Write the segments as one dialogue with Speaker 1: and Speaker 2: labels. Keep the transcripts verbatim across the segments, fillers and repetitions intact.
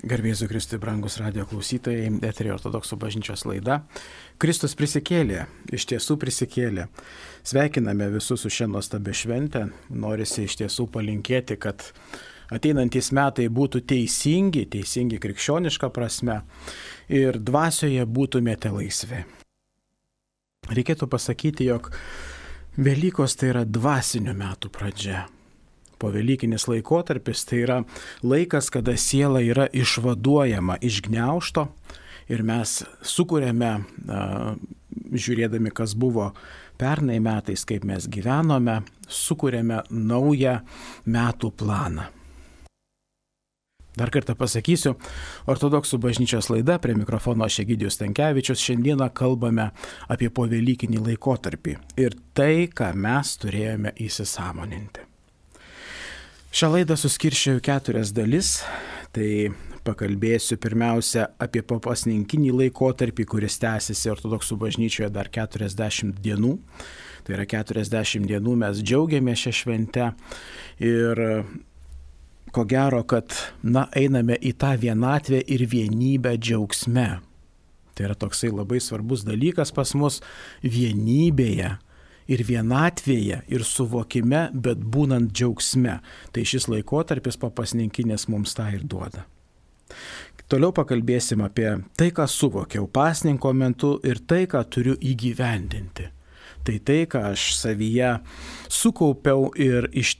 Speaker 1: Garbėsiu Kristui, brangus radijo klausytojai, eteryje Ortodoksų bažnyčios laida. Kristus prisikėlė, iš tiesų prisikėlė. Sveikiname visus su šia nuostabia švente. Norisi iš tiesų palinkėti, kad ateinantys metai būtų teisingi, teisingi krikščioniška prasme ir dvasioje būtumėte laisvi. Reikėtų pasakyti, jog Velykos tai yra dvasinių metų pradžia. Povelykinis laikotarpis tai yra laikas, kada siela yra išvaduojama iš gniaužto ir mes sukuriame, žiūrėdami, kas buvo pernai metais, kaip mes gyvenome, sukuriame naują metų planą. Dar kartą pasakysiu, Ortodoksų bažnyčios laida, prie mikrofono aš Egidijus Stankevičius, šiandieną kalbame apie povelykinį laikotarpį ir tai, ką mes turėjome įsisąmoninti. Šią laidą suskirščiau į keturias dalis, tai pakalbėsiu pirmiausia apie papasninkinį laikotarpį, kuris tęsiasi Ortodoksų bažnyčioje dar keturiasdešimt dienų. Tai yra keturiasdešimt dienų mes džiaugiamės šią šventę ir ko gero, kad na, einame į tą vienatvę ir vienybę džiaugsme. Tai yra toksai labai svarbus dalykas pas mus vienybėje. Ir vienatvėje, ir suvokime, bet būnant džiaugsme. Tai šis laikotarpis papasninkinės mums tą ir duoda. Toliau pakalbėsim apie tai, ką suvokiau pasninko metu ir tai, ką turiu įgyvendinti. Tai tai, ką aš savyje sukaupiau ir iš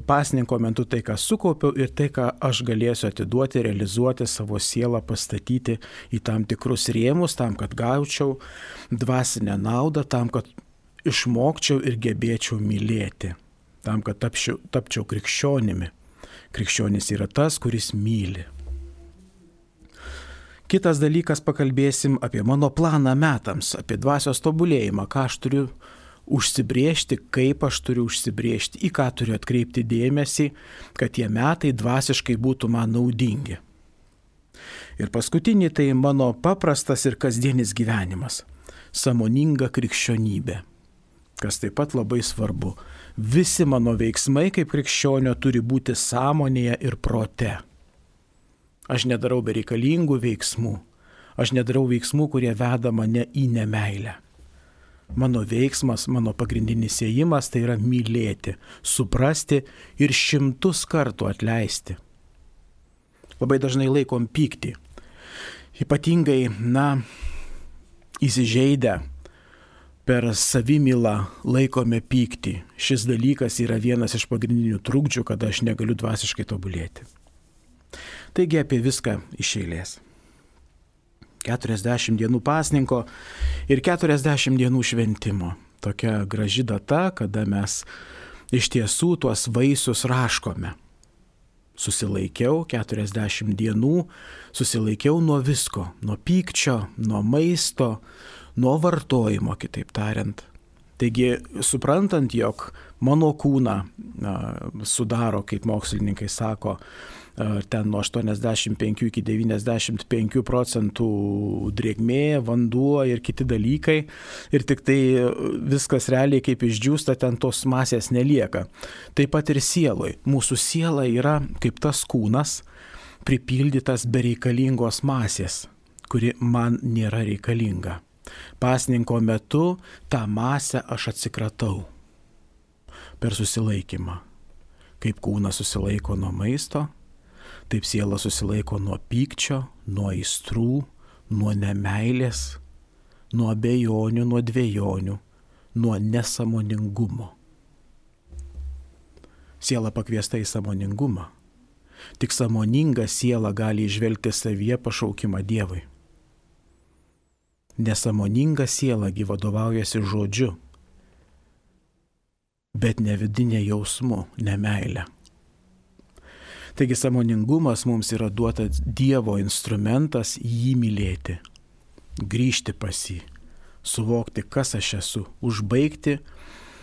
Speaker 1: pasninko metu tai, ką sukaupiau ir tai, ką aš galėsiu atiduoti, realizuoti savo sielą, pastatyti į tam tikrus rėmus, tam, kad gaučiau dvasinę naudą, tam, kad išmokčiau ir gebėčiau mylėti, tam, kad tapčiau, tapčiau krikščionimi. Krikščionis yra tas, kuris myli. Kitas dalykas, pakalbėsim apie mano planą metams, apie dvasios tobulėjimą, ką aš turiu užsibrėžti, kaip aš turiu užsibrėžti, į ką turiu atkreipti dėmesį, kad tie metai dvasiškai būtų man naudingi. Ir paskutinį tai mano paprastas ir kasdienis gyvenimas, sąmoninga krikščionybė. Kas taip pat labai svarbu. Visi mano veiksmai kaip krikščionio turi būti sąmonėje ir prote. Aš nedarau bereikalingų veiksmų. Aš nedarau veiksmų, kurie veda mane į nemeilę. Mano veiksmas, mano pagrindinis ėjimas tai yra mylėti, suprasti ir šimtus kartų atleisti. Labai dažnai laikom pyktį. Ypatingai, na, įsižeidę, per savimylą laikome pyktį. Šis dalykas yra vienas iš pagrindinių trukdžių, kada aš negaliu dvasiškai tobulėti. Taigi apie viską iš eilės. keturiasdešimt dienų pasninko ir keturiasdešimt dienų šventimo. Tokia graži data, kada mes iš tiesų tuos vaisius raškome. Susilaikiau keturiasdešimt dienų, susilaikiau nuo visko, nuo pykčio, nuo maisto, nuo vartojimo, kitaip tariant. Taigi, suprantant, jog mano kūną a, sudaro, kaip mokslininkai sako, a, ten nuo aštuoniasdešimt penkių iki devyniasdešimt penkių procentų drėgmė, vanduo ir kiti dalykai, ir tik tai viskas realiai kaip išdžiūsta, ten tos masės nelieka. Taip pat ir sieloj. Mūsų siela yra kaip tas kūnas, pripildytas bereikalingos masės, kuri man nėra reikalinga. Pasninko metu tą masę aš atsikratau per susilaikymą. Kaip kūnas susilaiko nuo maisto, taip siela susilaiko nuo pykčio, nuo aistrų, nuo nemeilės, nuo abejonių, nuo dvejonių, nuo nesąmoningumo. Siela pakviesta į sąmoningumą. Tik sąmoninga siela gali įžvelgti savyje pašaukimą Dievui. Nesąmoninga siela gi vadovaujasi žodžiu, bet ne vidinė jausmu, ne meilė. Taigi sąmoningumas mums yra duotas Dievo instrumentas jį mylėti, grįžti pas jį, suvokti, kas aš esu, užbaigti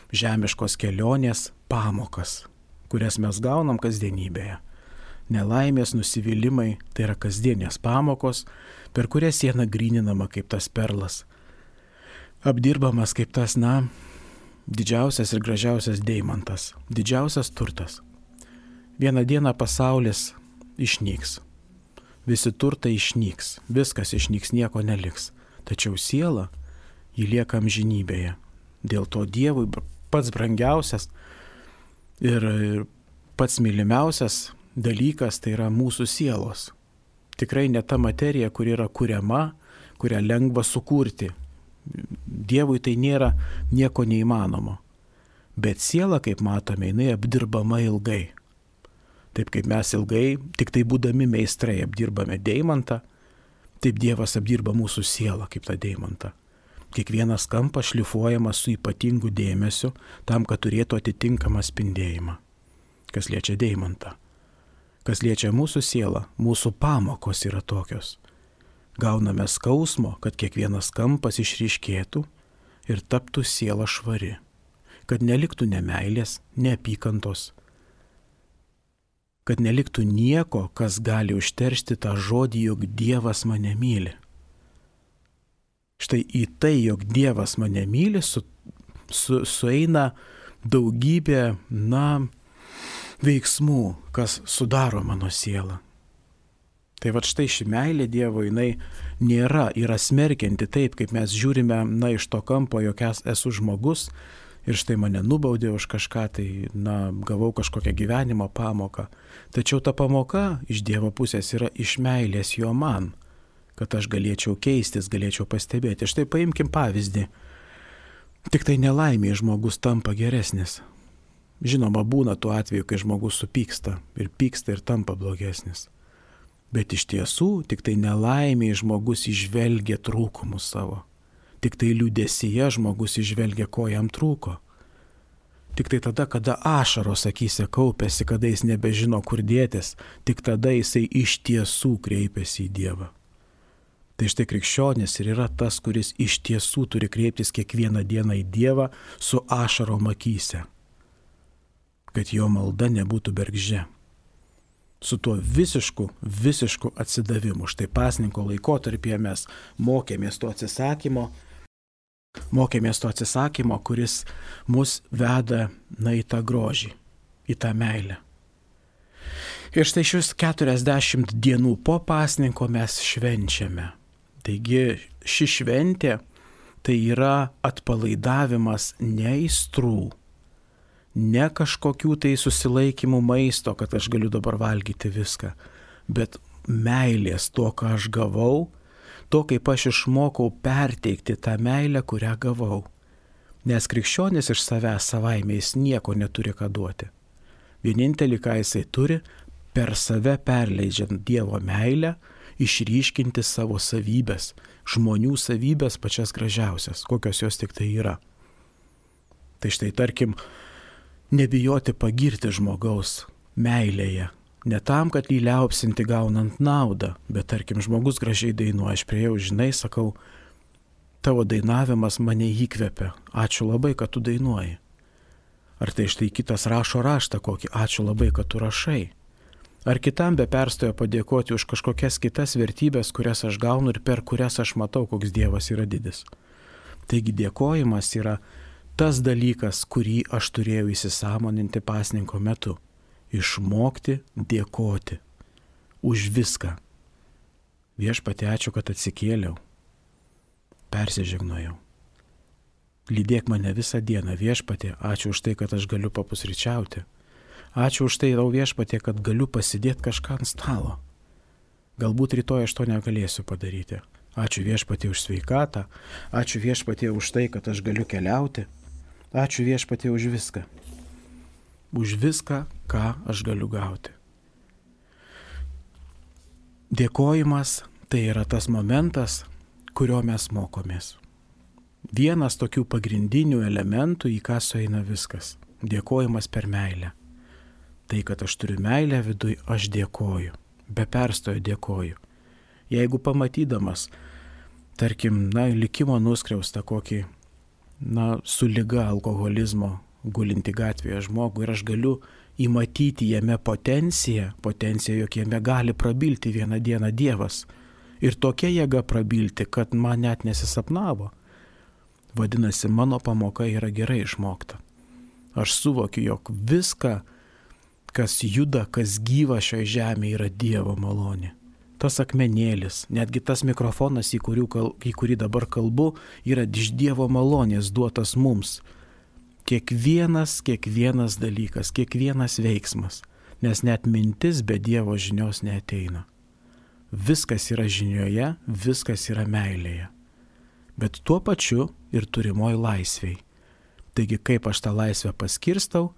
Speaker 1: žemiškos kelionės pamokas, kurias mes gaunam kasdienybėje. Nelaimės, nusivylimai, tai yra kasdienės pamokos, per kurias siena gryninama kaip tas perlas. Apdirbamas kaip tas, na, didžiausias ir gražiausias deimantas, didžiausias turtas. Vieną dieną pasaulis išnyks. visi turtai išnyks, viskas išnyks, nieko neliks. Tačiau siela, ji lieka amžinybėje. Dėl to Dievui pats brangiausias ir pats mylimiausias dalykas tai yra mūsų sielos. Tikrai ne ta materija, kuri yra kuriama, kurią lengva sukurti. Dievui tai nėra nieko neįmanomo. Bet siela, kaip matome, jinai apdirbama ilgai. Taip kaip mes ilgai, tik tai būdami meistrai, apdirbame deimantą, taip Dievas apdirba mūsų sielą kaip tą deimantą. Kiekvienas kampas šlifuojamas su ypatingu dėmesiu, tam, kad turėtų atitinkamą spindėjimą. Kas liečia deimantą. Kas liečia mūsų sielą, mūsų pamokos yra tokios. Gauname skausmo, kad kiekvienas kampas išryškėtų ir taptų siela švari. Kad neliktų nemeilės, neapykantos. Kad neliktų nieko, kas gali užteršti tą žodį, jog Dievas mane myli. Štai į tai, jog Dievas mane myli, su, su, sueina daugybė, na, veiksmų, kas sudaro mano sielą. Tai va štai ši meilė Dievo, jinai nėra, yra smerkianti taip, kaip mes žiūrime, na, iš to kampo, jog esu žmogus ir štai mane nubaudė už kažką, tai, na, gavau kažkokią gyvenimo pamoką. Tačiau ta pamoka iš Dievo pusės yra iš meilės jo man, kad aš galėčiau keistis, galėčiau pastebėti. Štai paimkim pavyzdį. Tik tai nelaimė žmogus tampa geresnis. Žinoma, būna tuo atveju, kai žmogus supyksta ir pyksta ir tampa blogesnis. Bet iš tiesų, tik tai nelaimė žmogus išvelgia trūkumus savo. Tik tai liūdėsyje žmogus išvelgia, ko jam trūko. Tik tai tada, kada ašaros akyse kaupėsi, kada jis nebežino, kur dėtis, tik tada jisai iš tiesų kreipiasi į Dievą. Tai štai krikščionis ir yra tas, kuris iš tiesų turi kreiptis kiekvieną dieną į Dievą su ašarom akyse, kad jo malda nebūtų bergždžia. Su tuo visišku, visišku atsidavimu. Štai pasninko laikotarpyje mes mokėmės to atsisakymo, mokėmės to atsisakymo, kuris mus veda, na, į tą grožį, į tą meilę. Ir štai šius keturiasdešimt dienų po pasninko mes švenčiame. Taigi ši šventė tai yra atpalaidavimas ne aistrų, ne kažkokių tai susilaikymų maisto, kad aš galiu dabar valgyti viską, bet meilės to, ką aš gavau, to, kaip aš išmokau perteikti tą meilę, kurią gavau. Nes krikščionis iš savęs savaime jis nieko neturi ką duoti. Vienintelį, ką jisai turi, per save perleidžiant Dievo meilę, išryškinti savo savybės, žmonių savybės pačias gražiausias, kokios jos tik tai yra. Tai štai tarkim, nebijoti pagirti žmogaus meilėje. Ne tam, kad jį liaupsinti gaunant naudą, bet tarkim, žmogus gražiai dainuoja, aš priejau, žinai, sakau, tavo dainavimas mane įkvepia, ačiū labai, kad tu dainuoji. Ar tai štai kitas rašo raštą kokį, ačiū labai, kad tu rašai. Ar kitam be perstojo padėkoti už kažkokias kitas vertybės, kurias aš gaunu ir per kurias aš matau, koks Dievas yra didis. Taigi dėkojimas yra tas dalykas, kurį aš turėjau įsisąmoninti pasninko metu. Išmokti dėkoti už viską. Viešpatie, ačiū, kad atsikėliau. Persižegnojau. Lydėk mane visą dieną, Viešpatie, ačiū už tai, kad aš galiu papusryčiauti. Ačiū už tai, tau Viešpatie, kad galiu pasidėti kažką ant stalo. Galbūt rytoj aš to negalėsiu padaryti. Ačiū Viešpatie už sveikatą. Ačiū Viešpatie už tai, kad aš galiu keliauti. Ačiū Viešpatie už viską. Už viską, ką aš galiu gauti. Dėkojimas tai yra tas momentas, kurio mes mokomės. Vienas tokių pagrindinių elementų, į ką sueina viskas. Dėkojimas per meilę. Tai, kad aš turiu meilę viduj, aš dėkoju. Be perstojo dėkoju. Jeigu pamatydamas, tarkim, na, likimo nuskriaustą kokį, na, su liga alkoholizmo gulinti gatvėje žmogų ir aš galiu įmatyti jame potenciją, potenciją, jog jame gali prabilti vieną dieną Dievas. Ir tokia jėga prabilti, kad man net nesisapnavo. Vadinasi, mano pamoka yra gerai išmokta. Aš suvokiu, jog viską, kas juda, kas gyva šioje žemėje, yra Dievo malonė. tas akmenėlis, netgi tas mikrofonas, į, kal, į kurį dabar kalbu, yra iš Dievo malonės duotas mums. Kiekvienas, kiekvienas dalykas, kiekvienas veiksmas, nes net mintis be Dievo žinios neateina. Viskas yra žinioje, viskas yra meilėje, bet tuo pačiu ir turimoj laisvėj. Taigi kaip aš tą laisvę paskirstau,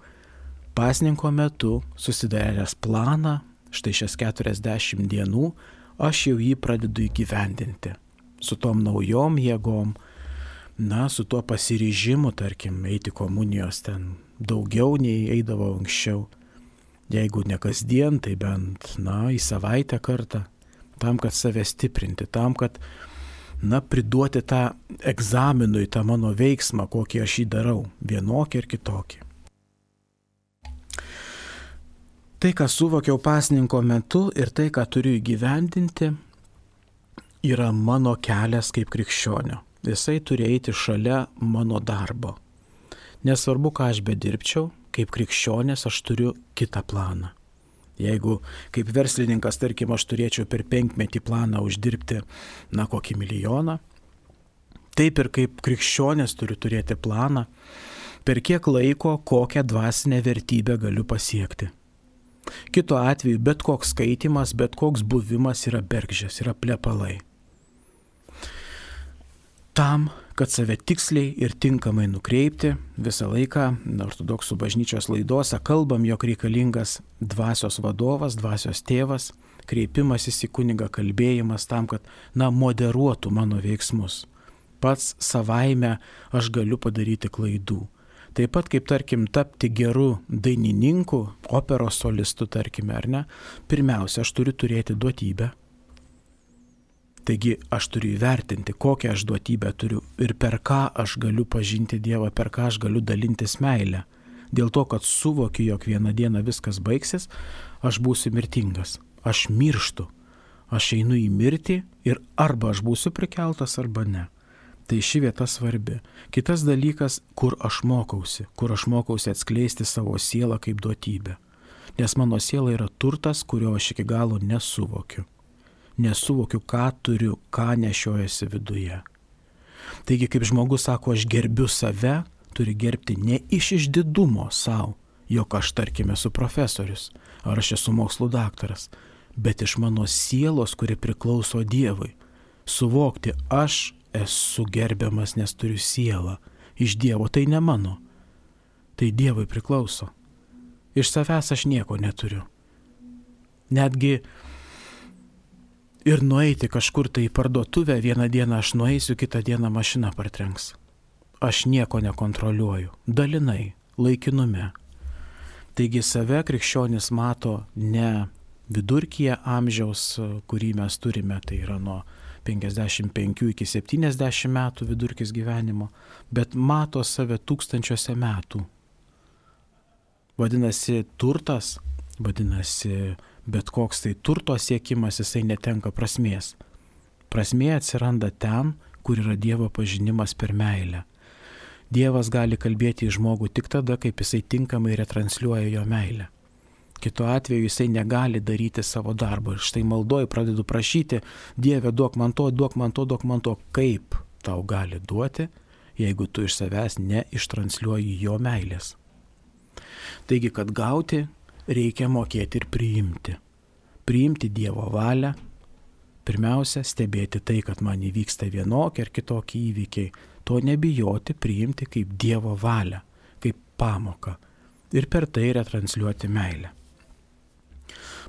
Speaker 1: pasninko metu susidaręs planą, štai šias keturiasdešimt dienų, aš jau jį pradedu įgyvendinti. Su tom naujom jėgom, na, su tuo pasiryžimu, tarkim, eiti komunijos ten daugiau nei eidavo anksčiau. Jeigu ne kasdien, tai bent, na, į savaitę kartą, tam, kad save stiprinti, tam, kad, na, priduoti tą egzaminui, tą mano veiksmą, kokį aš jį darau, vienokį ir kitokį. Tai, ką suvokiau pasninko metu ir tai, ką turiu įgyvendinti, yra mano kelias kaip krikščionio. Jisai turi eiti šalia mano darbo. Nesvarbu, ką aš bedirbčiau, kaip krikščionės aš turiu kitą planą. Jeigu kaip verslininkas, tarkim, aš turėčiau per penkmetį planą uždirbti, na, kokį milijoną, taip ir kaip krikščionės turiu turėti planą, per kiek laiko kokią dvasinę vertybę galiu pasiekti. Kito atveju bet koks skaitimas, bet koks buvimas yra bergždžias, yra plepalai. Tam, kad save tiksliai ir tinkamai nukreipti, visą laiką ortodoksų bažnyčios laidose kalbam, jog reikalingas dvasios vadovas, dvasios tėvas, kreipimasis į kunigą, kalbėjimas tam, kad, na, moderuotų mano veiksmus. Pats savaime aš galiu padaryti klaidų. Taip pat kaip, tarkim, tapti geru dainininku, operos solistu, tarkime, ar ne, pirmiausia, aš turiu turėti duotybę. Taigi aš turiu įvertinti, kokią aš duotybę turiu ir per ką aš galiu pažinti Dievą, per ką aš galiu dalintis meilę. Dėl to, kad suvokiu, jog vieną dieną viskas baigsis, aš būsiu mirtingas, aš mirštu, aš einu į mirtį ir arba aš būsiu prikeltas, arba ne. Tai ši vieta svarbi. Kitas dalykas, kur aš mokausi, kur aš mokausi atskleisti savo sielą kaip duotybę. Nes mano siela yra turtas, kurio aš iki galo nesuvokiu. Nesuvokiu, ką turiu, ką nešiojasi viduje. Taigi, kaip žmogus sako, aš gerbiu save, turi gerbti ne iš išdidumo savo, jog aš, tarkime, esu profesorius, ar aš esu mokslų daktaras, bet iš mano sielos, kuri priklauso Dievui. Suvokti, aš esu gerbiamas, nes turiu sielą. Iš Dievo tai ne mano. Tai Dievui priklauso. Iš savęs aš nieko neturiu. Netgi ir nueiti kažkur tai į parduotuvę, vieną dieną aš nueisiu, kitą dieną mašina partrenks. Aš nieko nekontroliuoju. Dalinai, laikinume. Taigi save krikščionis mato ne vidurkyje amžiaus, kurį mes turime, tai yra nuo penkiasdešimt penkių iki septyniasdešimt metų vidurkis gyvenimo, bet mato save tūkstančiuose metų. Vadinasi, turtas, vadinasi, bet koks tai turto siekimas, jisai netenka prasmės. Prasmė atsiranda ten, kur yra Dievo pažinimas per meilę. Dievas gali kalbėti į žmogų tik tada, kaip jisai tinkamai retransliuoja jo meilę. Kitu atveju jisai negali daryti savo darbo. Ir štai maldoju pradedu prašyti, Dieve, duok man to, duok man to, duok man to. Kaip tau gali duoti, jeigu tu iš savęs neištransliuoji jo meilės? Taigi, kad gauti, reikia mokėti ir priimti. Priimti Dievo valią. Pirmiausia, stebėti tai, kad man įvyksta vienokie ar kitokie įvykiai. To nebijoti, priimti kaip Dievo valią, kaip pamoką. Ir per tai retransliuoti meilę.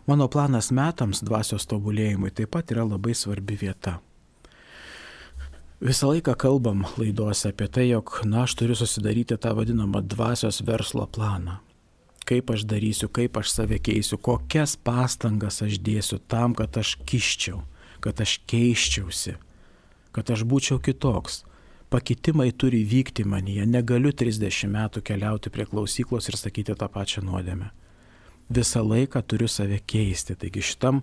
Speaker 1: Mano planas metams dvasios tobulėjimui taip pat yra labai svarbi vieta. Visą laiką kalbam laidose apie tai, jog, na, aš turiu susidaryti tą vadinamą dvasios verslo planą. Kaip aš darysiu, kaip aš save keisiu, kokias pastangas aš dėsiu tam, kad aš kiščiau, kad aš keiščiausi, kad aš būčiau kitoks. Pakitimai turi vykti manyje, negaliu trisdešimt metų keliauti prie klausyklos ir sakyti tą pačią nuodėmę. Visą laiką turiu save keisti, taigi šitam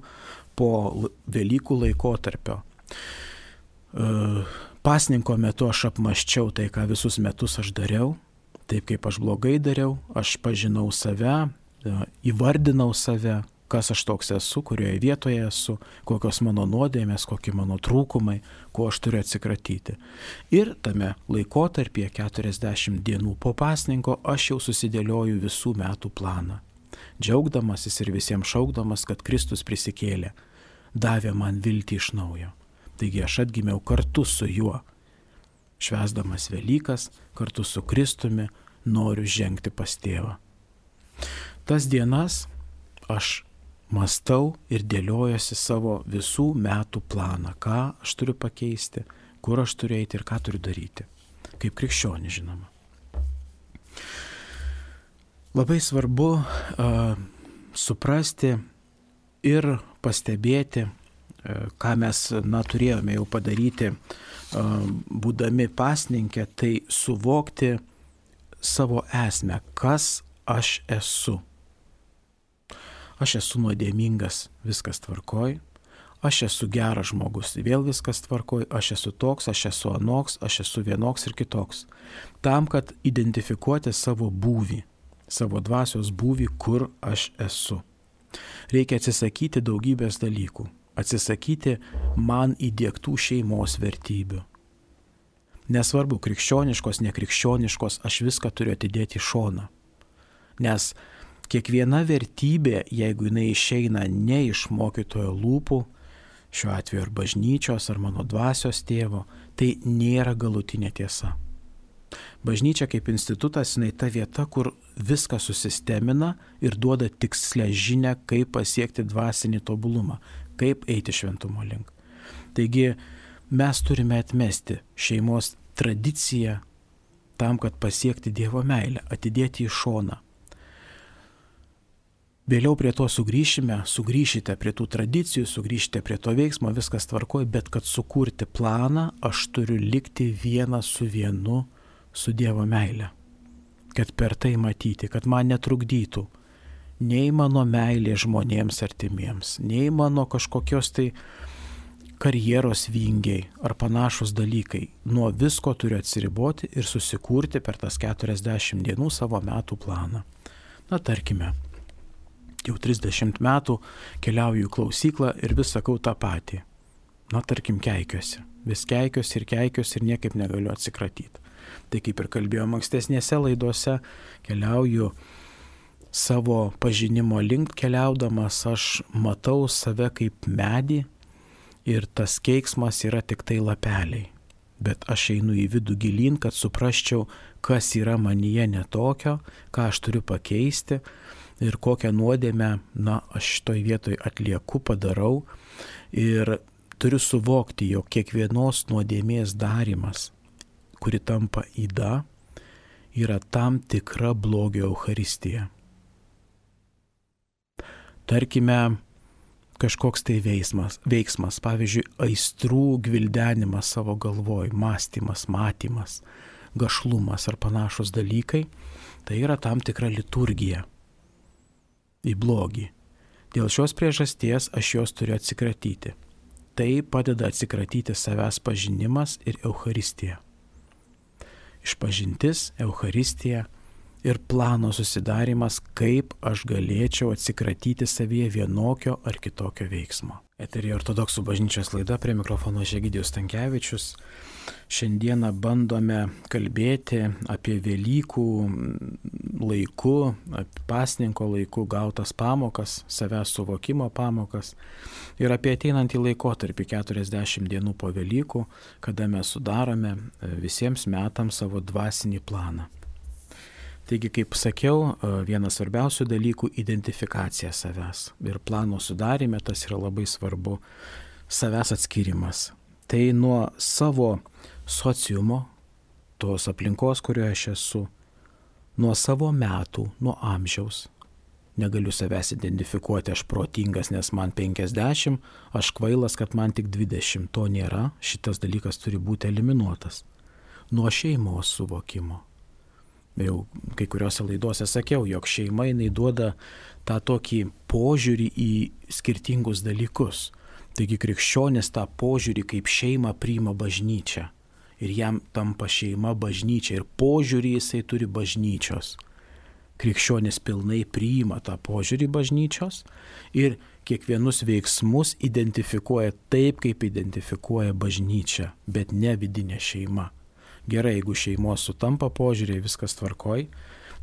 Speaker 1: po Velykų laikotarpio pasninko metu aš apmąsčiau tai, ką visus metus aš dariau, taip kaip aš blogai dariau, aš pažinau save, įvardinau save, kas aš toks esu, kurioje vietoje esu, kokios mano nuodėmės, kokie mano trūkumai, ko aš turiu atsikratyti. Ir tame laikotarpyje keturiasdešimt dienų po pasninko aš jau susidėlioju visų metų planą. Džiaugdamasis ir visiems šaukdamas, kad Kristus prisikėlė, davė man viltį iš naujo. Taigi aš atgimiau kartu su juo. Švęsdamas Velykas, kartu su Kristumi, noriu žengti pas tėvą. Tas dienas aš mąstau ir dėliojuosi savo visų metų planą, ką aš turiu pakeisti, kur aš turiu eiti ir ką turiu daryti. Kaip krikščionį, žinoma. Labai svarbu uh, suprasti ir pastebėti, uh, ką mes na, turėjome jau padaryti, uh, būdami pasninke, tai suvokti savo esmę, kas aš esu. Aš esu nuodėmingas, viskas tvarkoj, aš esu geras žmogus, vėl viskas tvarkoj, aš esu toks, aš esu anoks, aš esu vienoks ir kitoks. Tam, kad identifikuoti savo būvį, savo dvasios būvį, kur aš esu. Reikia atsisakyti daugybės dalykų, atsisakyti man įdiegtų šeimos vertybių. Nesvarbu, krikščioniškos, nekrikščioniškos, aš viską turiu atidėti į šoną. Nes kiekviena vertybė, jeigu jinai išeina ne iš mokytojo lūpų, šiuo atveju ar bažnyčios, ar mano dvasios tėvo, tai nėra galutinė tiesa. Bažnyčia kaip institutas, jinai ta vieta, kur viską susistemina ir duoda tikslę žinią, kaip pasiekti dvasinį tobulumą, kaip eiti šventumo link. Taigi mes turime atmesti šeimos tradiciją tam, kad pasiekti Dievo meilę, atidėti į šoną. Vėliau prie to sugrįšime, sugrįšite prie tų tradicijų, sugrįšite prie to veiksmo, viskas tvarkoj, bet kad sukurti planą, aš turiu likti vienas su vienu su Dievo meile. Kad per tai matyti, kad man netrukdytų nei mano meilė žmonėms artimiems, nei mano kažkokios tai karjeros vingiai ar panašus dalykai. Nuo visko turiu atsiriboti ir susikurti per tas keturiasdešimt dienų savo metų planą. Na, tarkime, jau trisdešimt metų keliauju į klausyklą ir vis sakau tą patį. Na, tarkim, keikiuosi. Vis keikiuosi ir keikiuosi ir niekaip negaliu atsikratyti. Tai kaip ir kalbėjom ankstesnėse laidose, keliauju savo pažinimo link keliaudamas, aš matau save kaip medį ir tas keiksmas yra tik tai lapeliai. Bet aš einu į vidų gilyn, kad suprasčiau, kas yra manyje netokio, ką aš turiu pakeisti ir kokią nuodėmę, na, aš šitoj vietoj atlieku, padarau ir turiu suvokti, jog kiekvienos nuodėmės darymas, kuri tampa yda, yra tam tikra blogio eucharistija. Tarkime, kažkoks tai veiksmas, veiksmas, pavyzdžiui, aistrų gvildenimas savo galvoj, mąstymas, matymas, gašlumas ar panašus dalykai, tai yra tam tikra liturgija į blogį. Dėl šios priežasties aš jos turiu atsikratyti. Tai padeda atsikratyti savęs pažinimas ir eucharistija. Išpažintis, eucharistija ir plano susidarimas, kaip aš galėčiau atsikratyti savyje vienokio ar kitokio veiksmo. Eteryje Ortodoksų bažnyčios laida, prie mikrofono Egidijus Stankevičius. Šiandieną bandome kalbėti apie Velykų laiku, apie pasninko laiku gautas pamokas, savęs suvokimo pamokas ir apie ateinantį laikotarpį keturiasdešimt dienų po Velykų, kada mes sudarome visiems metams savo dvasinį planą. Taigi, kaip sakiau, vienas svarbiausių dalykų – identifikacija savęs. Ir plano sudarime tas yra labai svarbu – savęs atskirimas. Tai nuo savo sociumo, tos aplinkos, kurioje aš esu, nuo savo metų, nuo amžiaus. Negaliu savęs identifikuoti, aš protingas, nes man penkiasdešimt, aš kvailas, kad man tik dvidešimt. To nėra, šitas dalykas turi būti eliminuotas. Nuo šeimos suvokimo. Jau kai kuriuose laidose sakiau, jog šeima jinai duoda tą tokį požiūrį į skirtingus dalykus. Taigi krikščionis tą požiūrį kaip šeimą priima bažnyčia. Ir jam tampa šeima bažnyčia. Ir požiūrį jisai turi bažnyčios. krikščionis pilnai priima tą požiūrį bažnyčios ir kiekvienus veiksmus identifikuoja taip, kaip identifikuoja bažnyčia, bet ne vidinė šeima. Gerai, jeigu šeimos sutampa požiūriai, viskas tvarkoj,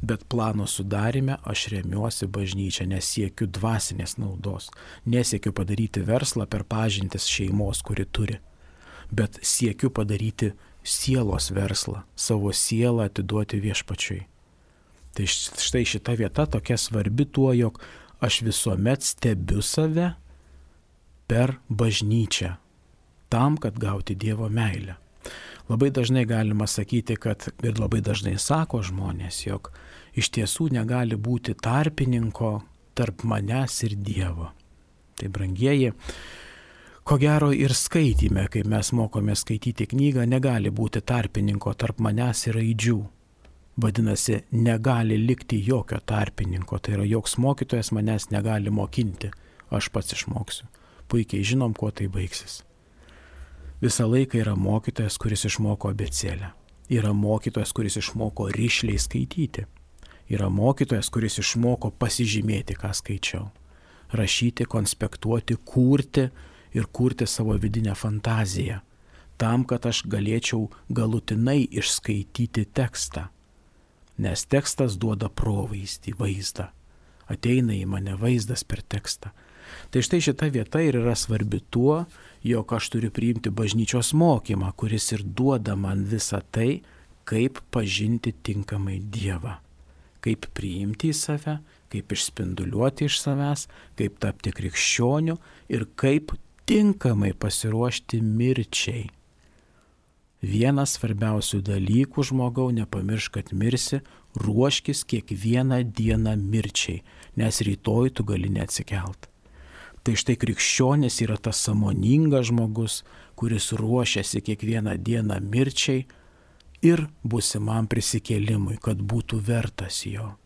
Speaker 1: bet plano sudarime aš remiuosi bažnyčią, nesiekiu dvasinės naudos, nesiekiu padaryti verslą per pažintis šeimos, kuri turi, bet siekiu padaryti sielos verslą, savo sielą atiduoti viešpačiui. Tai štai šita vieta tokia svarbi tuo, jog aš visuomet stebiu save per bažnyčią, tam, kad gauti Dievo meilę. Labai dažnai galima sakyti, kad ir labai dažnai sako žmonės, jog iš tiesų negali būti tarpininko tarp manęs ir Dievo. Tai brangieji, ko gero ir skaitime, kai mes mokome skaityti knygą, negali būti tarpininko tarp manęs ir raidžių. Vadinasi, negali likti jokio tarpininko, tai yra joks mokytojas manęs negali mokinti, aš pats išmoksiu. Puikiai žinom, kuo tai baigsis. Visą laiką yra mokytojas, kuris išmoko abėcėlę. Yra mokytojas, kuris išmoko rišliai skaityti. Yra mokytojas, kuris išmoko pasižymėti, ką skaičiau. Rašyti, konspektuoti, kurti ir kurti savo vidinę fantaziją. Tam, kad aš galėčiau galutinai išskaityti tekstą. Nes tekstas duoda provaizdį, vaizdą. Ateina į mane vaizdas per tekstą. Tai štai šita vieta ir yra svarbi tuo, jog aš turiu priimti bažnyčios mokymą, kuris ir duoda man visą tai, kaip pažinti tinkamai Dievą. Kaip priimti į save, kaip išspinduliuoti iš savęs, kaip tapti krikščioniu ir kaip tinkamai pasiruošti mirčiai. Vienas svarbiausių dalykų žmogau, nepamiršk, kad mirsi, ruoškis kiekvieną dieną mirčiai, nes rytoj tu gali neatsikelt. Tai štai krikščionis yra tas sąmoningas žmogus, kuris ruošiasi kiekvieną dieną mirčiai ir būsimam prisikėlimui, kad būtų vertas jo.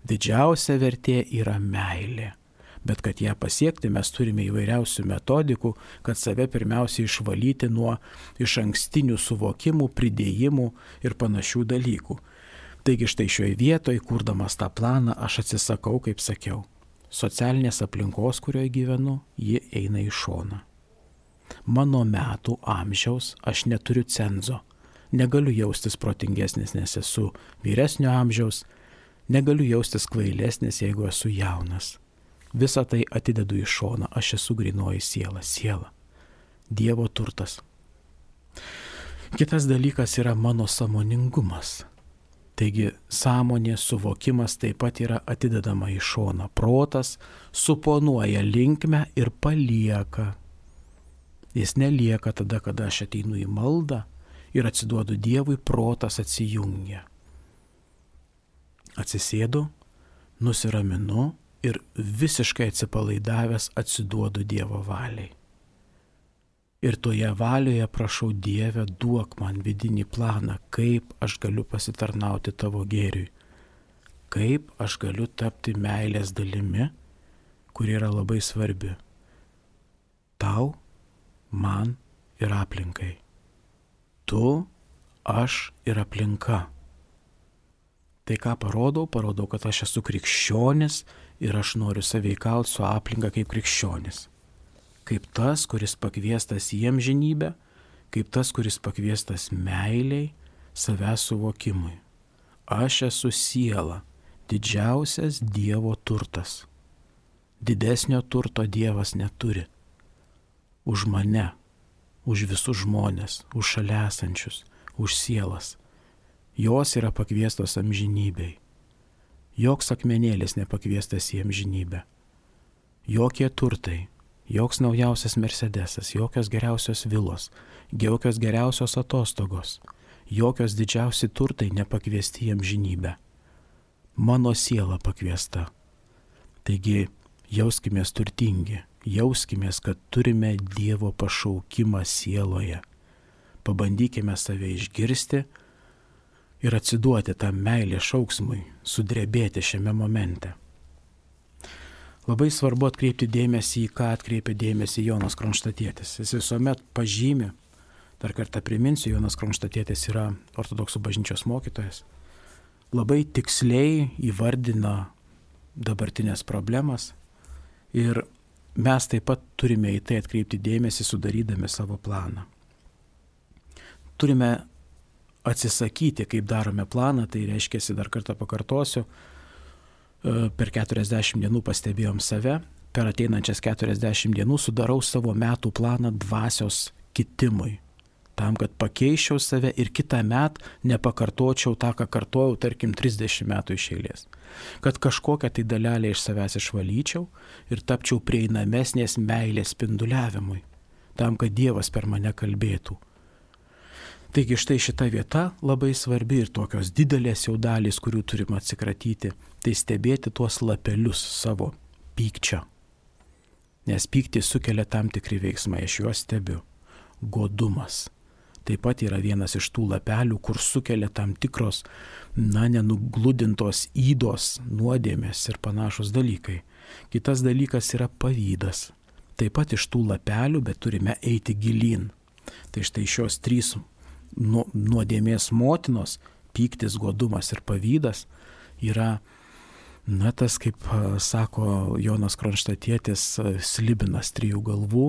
Speaker 1: Didžiausia vertė yra meilė. Bet kad ją pasiekti, mes turime įvairiausių metodikų, kad save pirmiausiai išvalyti nuo iš ankstinių suvokimų, pridėjimų ir panašių dalykų. Taigi štai šioje vietoje, kurdamas tą planą, aš atsisakau, kaip sakiau, socialinės aplinkos, kurioje gyvenu, ji eina į šoną. Mano metų amžiaus aš neturiu cenzo. Negaliu jaustis protingesnis, nes esu vyresnio amžiaus. Negaliu jaustis kvailesnis, jeigu esu jaunas. Visą tai atidedu į šoną, aš esu grynoji siela, siela, Dievo turtas. Kitas dalykas yra mano sąmoningumas. Taigi sąmonės suvokimas taip pat yra atidedama į šoną. Protas suponuoja linkmę ir palieka. Jis nelieka tada, kada aš ateinu į maldą ir atsiduodu Dievui, protas atsijungia. Atsisėdu, nusiraminu ir visiškai atsipalaidavęs atsiduodu Dievo valiai. Ir toje valioje prašau, Dieve, duok man vidinį planą, kaip aš galiu pasitarnauti tavo gėriui, kaip aš galiu tapti meilės dalimi, kuri yra labai svarbi. Tau, man ir aplinkai. Tu, aš ir aplinka. Tai ką parodau? Parodau, kad aš esu krikščionis ir aš noriu sąveikauti su aplinka kaip krikščionis. Kaip tas, kuris pakviestas į amžinybę, kaip tas, kuris pakviestas meiliai, savęs suvokimui. Aš esu siela, didžiausias Dievo turtas. Didesnio turto Dievas neturi. Už mane, už visus žmonės, už šalia esančius, už sielas. Jos yra pakviestos amžinybei. Joks akmenėlis nepakviestas į amžinybę. Jokie turtai, joks naujausias Mercedesas, jokios geriausios vilos, jokios geriausios atostogos, jokios didžiausi turtai nepakviesti į amžinybę. Mano siela pakviesta. Taigi jauskimės turtingi, jauskimės, kad turime Dievo pašaukimą sieloje. Pabandykime save išgirsti ir atsiduoti tam meilės šauksmui, sudrebėti šiame momente. Labai svarbu atkreipti dėmesį, į ką atkreipia dėmesį Jonas Kronštatietis. Jis visuomet pažymi, dar kartą priminsiu, Jonas Kronštatietis yra ortodoksų bažnyčios mokytojas, labai tiksliai įvardina dabartinės problemas ir mes taip pat turime į tai atkreipti dėmesį, sudarydami savo planą. Turime atsisakyti, kaip darome planą, tai reiškia, dar kartą pakartosiu, per keturiasdešimt dienų pastebėjom save, per ateinančias keturiasdešimt dienų sudarau savo metų planą dvasios kitimui, tam, kad pakeičiau save ir kitą metą nepakartočiau tą, ką kartojau, tarkim, trisdešimt metų iš eilės. Kad kažkokią tai dalelę iš savęs išvalyčiau ir tapčiau prieinamesnės meilės spinduliavimui, tam, kad Dievas per mane kalbėtų. Taigi štai šita vieta labai svarbi ir tokios didelės jau dalys, kurių turim atsikratyti, tai stebėti tuos lapelius savo pykčio. Nes pyktį sukelia tam tikri veiksmai, aš juos stebiu. Godumas. Taip pat yra vienas iš tų lapelių, kur sukelia tam tikros, na, nenugludintos ydos, nuodėmės ir panašus dalykai. Kitas dalykas yra pavydas. Taip pat iš tų lapelių, bet turime eiti gilyn. Tai štai šios trys nuodėmės motinos, pyktis, godumas ir pavydas, yra, na, tas, kaip sako Jonas Kronštatietis, slibinas trijų galvų,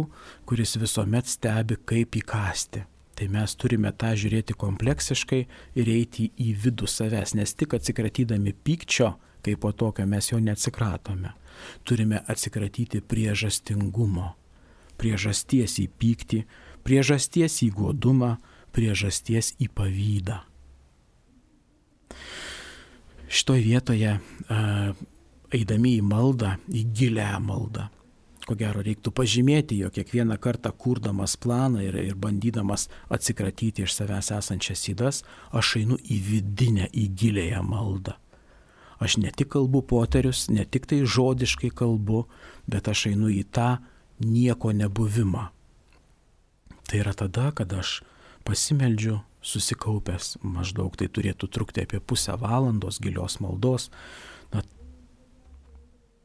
Speaker 1: kuris visuomet stebi, kaip įkąsti. Tai mes turime tą žiūrėti kompleksiškai ir eiti į vidų savęs, nes tik atsikratydami pykčio, kaip po tokio mes jo neatsikratome. Turime atsikratyti priežastingumo, priežasties į pyktį, priežasties į godumą, priežasties į pavydą. Šitoje vietoje, eidami į maldą, į gilią maldą, ko gero reiktų pažymėti, jog kiekvieną kartą kurdamas planą ir, ir bandydamas atsikratyti iš savęs esančias ydas, aš einu į vidinę, į gilėją maldą. Aš ne tik kalbu poterius, ne tik tai žodiškai kalbu, bet aš einu į tą nieko nebuvimą. Tai yra tada, kada aš pasimeldžiu susikaupęs, maždaug tai turėtų trukti apie pusę valandos gilios maldos, na,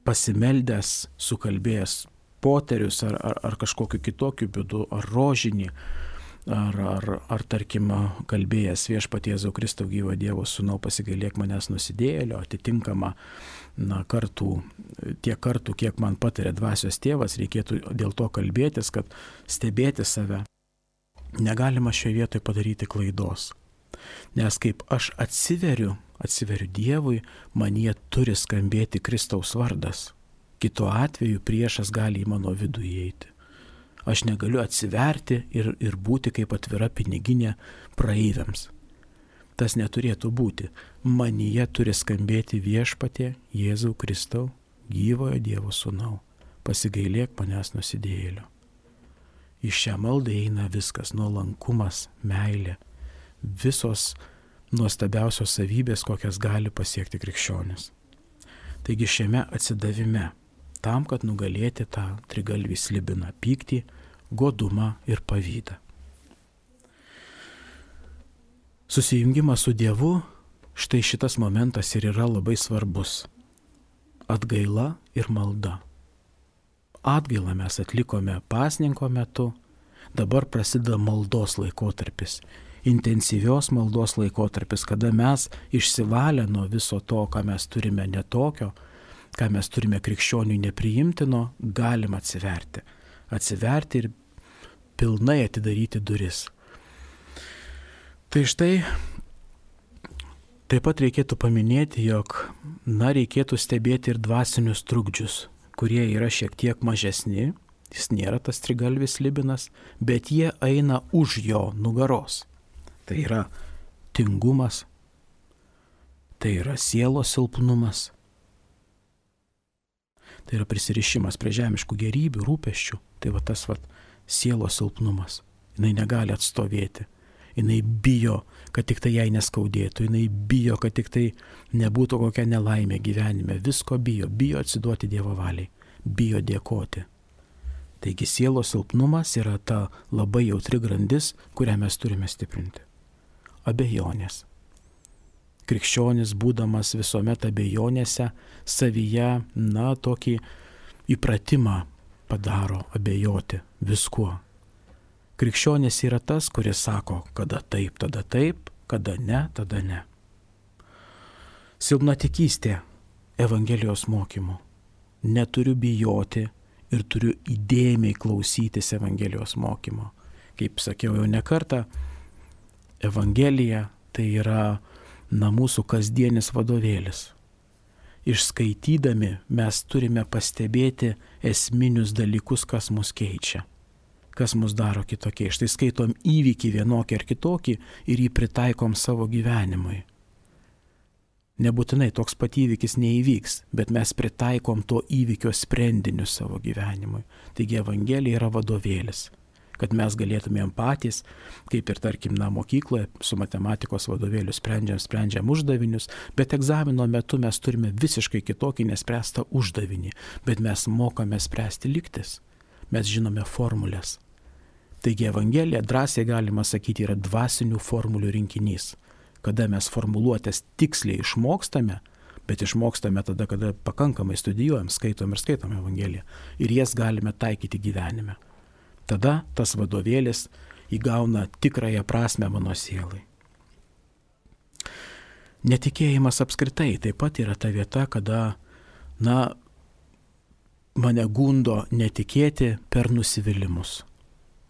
Speaker 1: pasimeldęs, sukalbėjęs poterius ar, ar, ar kažkokiu kitokiu būdu, ar rožinį, ar, ar, ar tarkim, kalbėjęs Viešpatie Jėzau Kristau gyvo Dievo Sūnau, pasigailėk manęs nusidėjėlio, atitinkama, na, kartų, tiek kartų, kiek man patarė dvasios tėvas, reikėtų dėl to kalbėtis, kad stebėti save. Negalima šioje vietoje padaryti klaidos, nes kaip aš atsiveriu, atsiveriu Dievui, manyje turi skambėti Kristaus vardas. Kitu atveju priešas gali į mano vidų įeiti. Aš negaliu atsiverti ir, ir būti kaip atvira piniginė praeiviams. Tas neturėtų būti. Manyje turi skambėti Viešpatie Jėzau Kristau, gyvojo Dievo Sūnau, pasigailėk manęs nusidėjėlio. Į šią maldą eina viskas, nuolankumas, meilė, visos nuostabiausios savybės, kokias gali pasiekti krikščionis. Taigi šiame atsidavime, tam, kad nugalėti tą trigalvį slibiną pyktį, godumą ir pavydą. Susijungimas su Dievu, štai šitas momentas ir yra labai svarbus. Atgaila ir malda. Atgailą mes atlikome pasninko metu, dabar prasideda maldos laikotarpis, intensyvios maldos laikotarpis, kada mes išsivalę nuo viso to, ką mes turime netokio, ką mes turime krikščioniui nepriimtino, galim atsiverti. Atsiverti ir pilnai atidaryti duris. Tai štai, taip pat reikėtų paminėti, jog, na, reikėtų stebėti ir dvasinius trukdžius, kurie yra šiek tiek mažesni, jis nėra tas trigalvis slibinas, bet jie eina už jo nugaros. Tai yra tingumas, tai yra sielos silpnumas, tai yra prisirišimas prie žemiškų gerybių, rūpesčių, tai va tas va sielos silpnumas. Jinai negali atstovėti, jinai bijo, kad tik tai jai neskaudėtų, jinai bijo, kad tik tai nebūtų kokia nelaimė gyvenime, visko bijo, bijo atsiduoti Dievo valiai, bijo dėkoti. Taigi sielos silpnumas yra ta labai jautri grandis, kurią mes turime stiprinti. Abejonės. Krikščionis, būdamas visuomet abejonėse, savyje, na, tokį įpratimą padaro abejoti viskuo. Krikščionis yra tas, kuris sako, kada taip, tada taip, kada ne, tada ne. Silpnatikystė Evangelijos mokymu. Neturiu bijoti ir turiu įdėmiai klausytis Evangelijos mokymo. Kaip sakiau jau ne kartą, Evangelija tai yra na, mūsų kasdienis vadovėlis. Išskaitydami mes turime pastebėti esminius dalykus, kas mus keičia, kas mus daro kitokie. Štai skaitom įvykį vienokį ar kitokį ir jį pritaikom savo gyvenimui. Nebūtinai toks pat įvykis neįvyks, bet mes pritaikom to įvykio sprendinius savo gyvenimui. Taigi Evangelija yra vadovėlis, kad mes galėtumėm patys, kaip ir tarkim, na, mokykloje su matematikos vadovėliu sprendžiam, sprendžiam uždavinius, bet egzamino metu mes turime visiškai kitokį nespręstą uždavinį, bet mes mokame spręsti lygtis, mes žinome formulės. Taigi Evangelija, drąsiai galima sakyti, yra dvasinių formulių rinkinys, kada mes formuluotės tiksliai išmokstame, bet išmokstame tada, kada pakankamai studijuojam, skaitom ir skaitom Evangeliją ir jas galime taikyti gyvenime. Tada tas vadovėlis įgauna tikrąją prasme mano sielai. Netikėjimas apskritai taip pat yra ta vieta, kada, na, mane gundo netikėti per nusivylimus.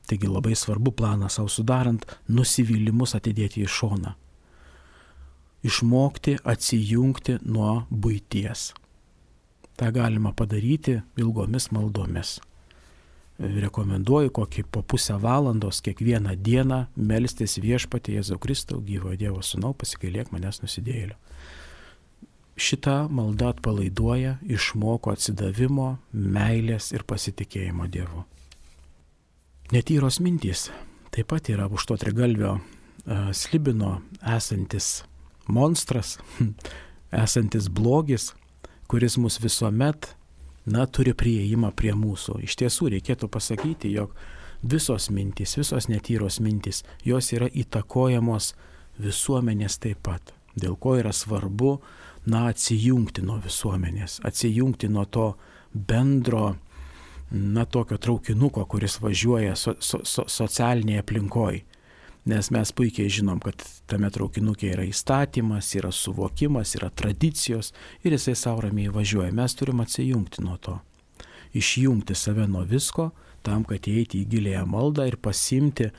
Speaker 1: Taigi labai svarbu planą savo sudarant, nusivylimus atidėti į šoną. Išmokti atsijungti nuo buities. Ta galima padaryti ilgomis maldomis. Rekomenduoju kokį po pusę valandos kiekvieną dieną melstis Viešpatie Jėzau Kristau, gyvojo Dievo Sūnau, pasigailėk manęs nusidėjėlio. Šita malda atpalaiduoja, išmoko atsidavimo, meilės ir pasitikėjimo Dievu. Netyros mintys taip pat yra už to trigalvio uh, slibino esantis monstras, esantis blogis, kuris mus visuomet, na, turi prieimą prie mūsų. Iš tiesų reikėtų pasakyti, jog visos mintys, visos netyros mintys, jos yra įtakojamos visuomenės taip pat. Dėl ko yra svarbu, na, atsijungti nuo visuomenės, atsijungti nuo to bendro, na, tokio traukinuko, kuris važiuoja so, so, so, socialinėje aplinkoje. Nes mes puikiai žinom, kad tame traukinukė yra įstatymas, yra suvokimas, yra tradicijos ir jisai savo ramiai važiuoja. Mes turim atsijungti nuo to. Išjungti save nuo visko, tam, kad įeiti į gilėją maldą ir pasimti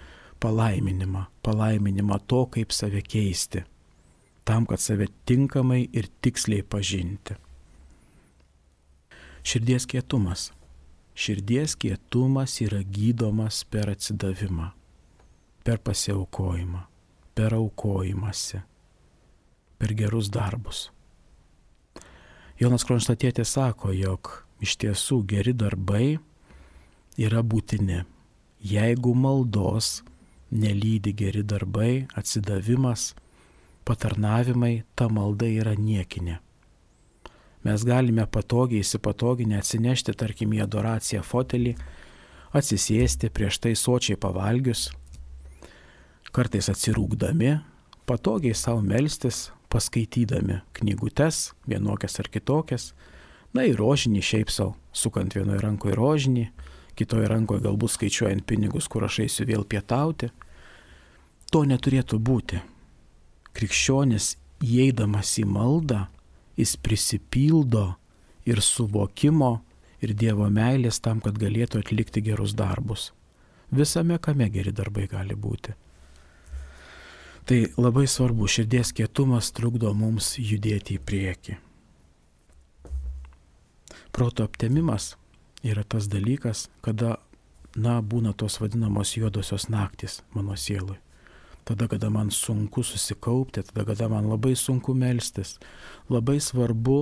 Speaker 1: palaiminimą. Palaiminimą to, kaip save keisti. Tam, kad save tinkamai ir tiksliai pažinti. Širdies kietumas. Širdies kietumas yra gydomas per atsidavimą, per pasiaukojimą, per aukojimąsi, per gerus darbus. Jonas Kronštatietis sako, jog iš tiesų geri darbai yra būtini. Jeigu maldos nelydi geri darbai, atsidavimas, patarnavimai, ta malda yra niekinė. Mes galime patogiai, įsipatoginę atsinešti, tarkim, į adoraciją fotelį, atsisėsti prieš tai sočiai pavalgius, kartais atsirūkdami, patogiai savo melstis, paskaitydami knygutes, vienokias ar kitokias, na ir rožinį šiaip savo, sukant vienoje rankoje rožinį, kitoje rankoje galbūt skaičiuojant pinigus, kur aš eisiu vėl pietauti. To neturėtų būti. Krikščionis, įeidamas į maldą, jis prisipildo ir suvokimo, ir Dievo meilės tam, kad galėtų atlikti gerus darbus. Visame kame geri darbai gali būti. Tai labai svarbu, širdies kietumas trukdo mums judėti į priekį. Proto aptemimas yra tas dalykas, kada, na, būna tos vadinamos juodosios naktis mano sielui. Tada, kada man sunku susikaupti, tada, kada man labai sunku melstis. Labai svarbu,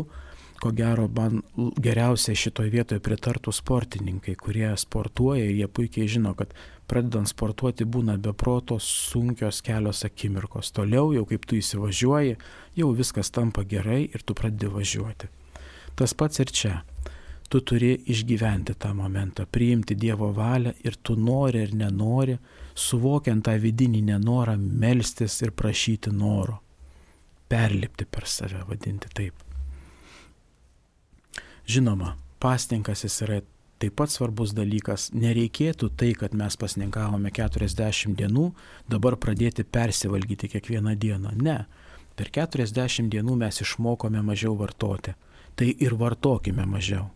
Speaker 1: ko gero, man geriausiai šitoje vietoje pritartų sportininkai, kurie sportuoja ir jie puikiai žino, kad pradedant sportuoti būna be proto sunkios kelios akimirkos. Toliau jau kaip tu įsivažiuoji, jau viskas tampa gerai ir tu pradedi važiuoti. Tas pats ir čia. Tu turi išgyventi tą momentą, priimti Dievo valią ir tu nori ir nenori, suvokiant tą vidinį nenorą, melstis ir prašyti noro. Perlipti per save, vadinti taip. Žinoma, pasninkas jis yra taip pat svarbus dalykas. Nereikėtų tai, kad mes pasninkavome keturiasdešimt dienų, dabar pradėti persivalgyti kiekvieną dieną. Ne, Per keturiasdešimt dienų mes išmokome mažiau vartoti. Tai ir vartokime mažiau.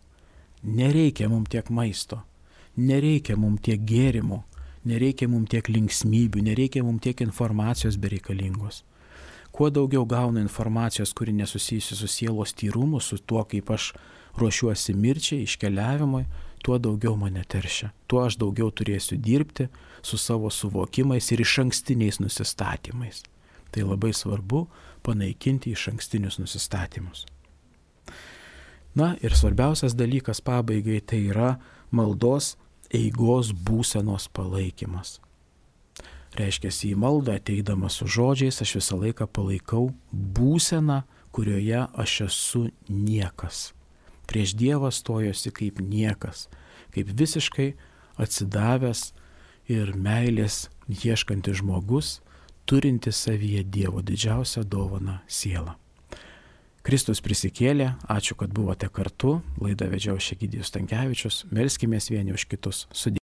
Speaker 1: Nereikia mums tiek maisto, nereikia mums tiek gėrimų, nereikia mums tiek linksmybių, nereikia mums tiek informacijos bereikalingos. Kuo daugiau gaunu informacijos, kuri nesusijusi su sielos tyrumu, su tuo, kaip aš ruošiuosi mirčiai, iškeliavimui, tuo daugiau mane teršia. Tuo aš daugiau turėsiu dirbti su savo suvokimais ir išankstiniais nusistatymais. Tai labai svarbu panaikinti išankstinius nusistatymus. Na ir svarbiausias dalykas pabaigai tai yra maldos eigos būsenos palaikymas. Reiškia, į maldą ateidamas su žodžiais aš visą laiką palaikau būseną, kurioje aš esu niekas. Prieš Dievą stojosi kaip niekas, kaip visiškai atsidavęs ir meilės ieškantis žmogus, turinti savyje Dievo didžiausią dovaną sielą. Kristus prisikėlė, ačiū, kad buvote kartu, laidą vedžiau aš Egidijus Stankevičius, melskimės vieni už kitus. Sudie.